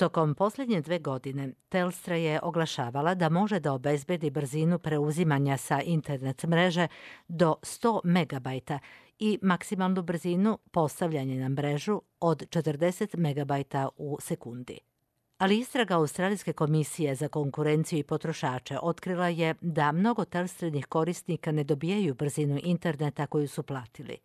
Tokom posljednje 2 godine Telstra je oglašavala da može da obezbedi brzinu preuzimanja sa internet mreže do 100 megabajta i maksimalnu brzinu postavljanja na mrežu od 40 megabajta u sekundi. Ali istraga Australijske komisije za konkurenciju i potrošače otkrila je da mnogo Telstrinih korisnika ne dobijaju brzinu interneta koju su platili.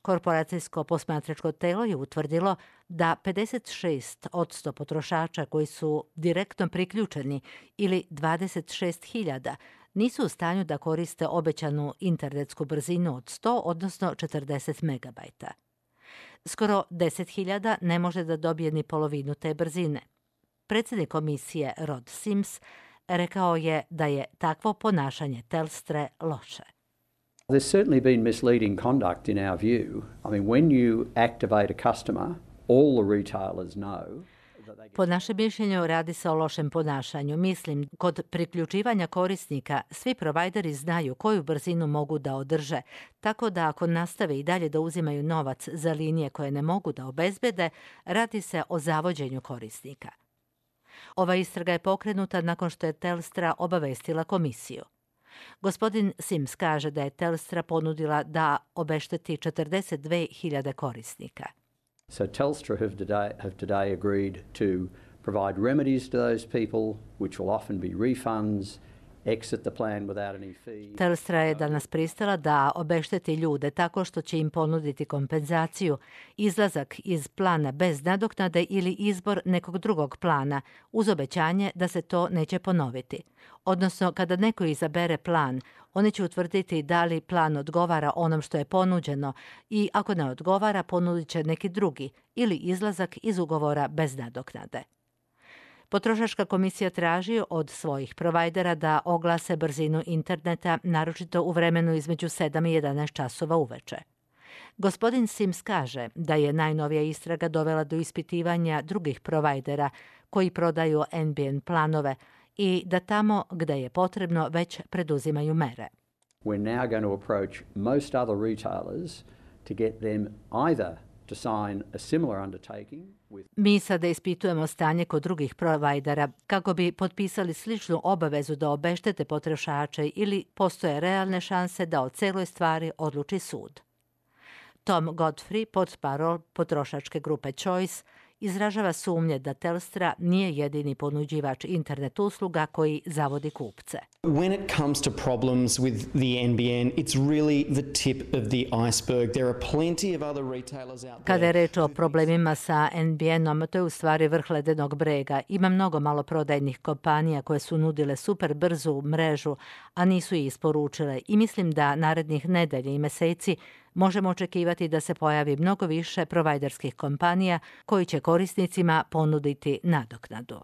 Korporacijsko posmatračko telo je utvrdilo da 56% potrošača koji su direktno priključeni ili 26.000 nisu u stanju da koriste obećanu internetsku brzinu od 100, odnosno 40 megabajta. Skoro 10.000 ne može da dobije ni polovinu te brzine. Predsjednik komisije Rod Sims rekao je da je takvo ponašanje Telstre loše. There's certainly been misleading conduct in our view. I mean, when you activate a customer, all the retailers know. Po našem mišljenju radi se o lošem ponašanju. Mislim, kod priključivanja korisnika svi provajderi znaju koju brzinu mogu da održe, tako da ako nastave i dalje da uzimaju novac za linije koje ne mogu da obezbede, radi se o zavođenju korisnika. Ova istraga je pokrenuta nakon što je Telstra obavestila komisiju. Gospodin Sims kaže da je Telstra ponudila da obešteti 42.000 korisnika. So Telstra have today agreed to provide remedies to those people, which will often be refunds, exit the plan without any fee. Telstra je danas pristala da obešteti ljude tako što će im ponuditi kompenzaciju, izlazak iz plana bez nadoknade ili izbor nekog drugog plana, uz obećanje da se to neće ponoviti. Odnosno, kada neko izabere plan, oni će utvrditi da li plan odgovara onom što je ponuđeno i ako ne odgovara, ponudit će neki drugi ili izlazak iz ugovora bez nadoknade. Potrošačka komisija traži od svojih provajdera da oglase brzinu interneta, naročito u vremenu između 7 i 11 časova uveče. Gospodin Sims kaže da je najnovija istraga dovela do ispitivanja drugih provajdera koji prodaju NBN planove i da tamo gde je potrebno već preduzimaju mere. We're now going to approach most other retailers to get them either to sign a similar undertaking with. Mi sada ispitujemo stanje kod drugih provajdera kako bi potpisali sličnu obavezu da obeštete potrošače ili postoje realne šanse da o celoj stvari odluči sud. Tom Godfrey, portparol potrošačke grupe Choice, izražava sumnje da Telstra nije jedini ponuđivač internet usluga koji zavodi kupce. When it comes to problems with the NBN, it's really the tip of the iceberg. There are plenty of other retailers out there. Kada je reč o problemima sa NBN-om, to je u stvari vrh ledenog brega. Ima mnogo maloprodajnih kompanija koje su nudile super brzu mrežu, a nisu je isporučile i mislim da narednih nedelja i meseci možemo očekivati da se pojavi mnogo više provajderskih kompanija koji će korisnicima ponuditi nadoknadu.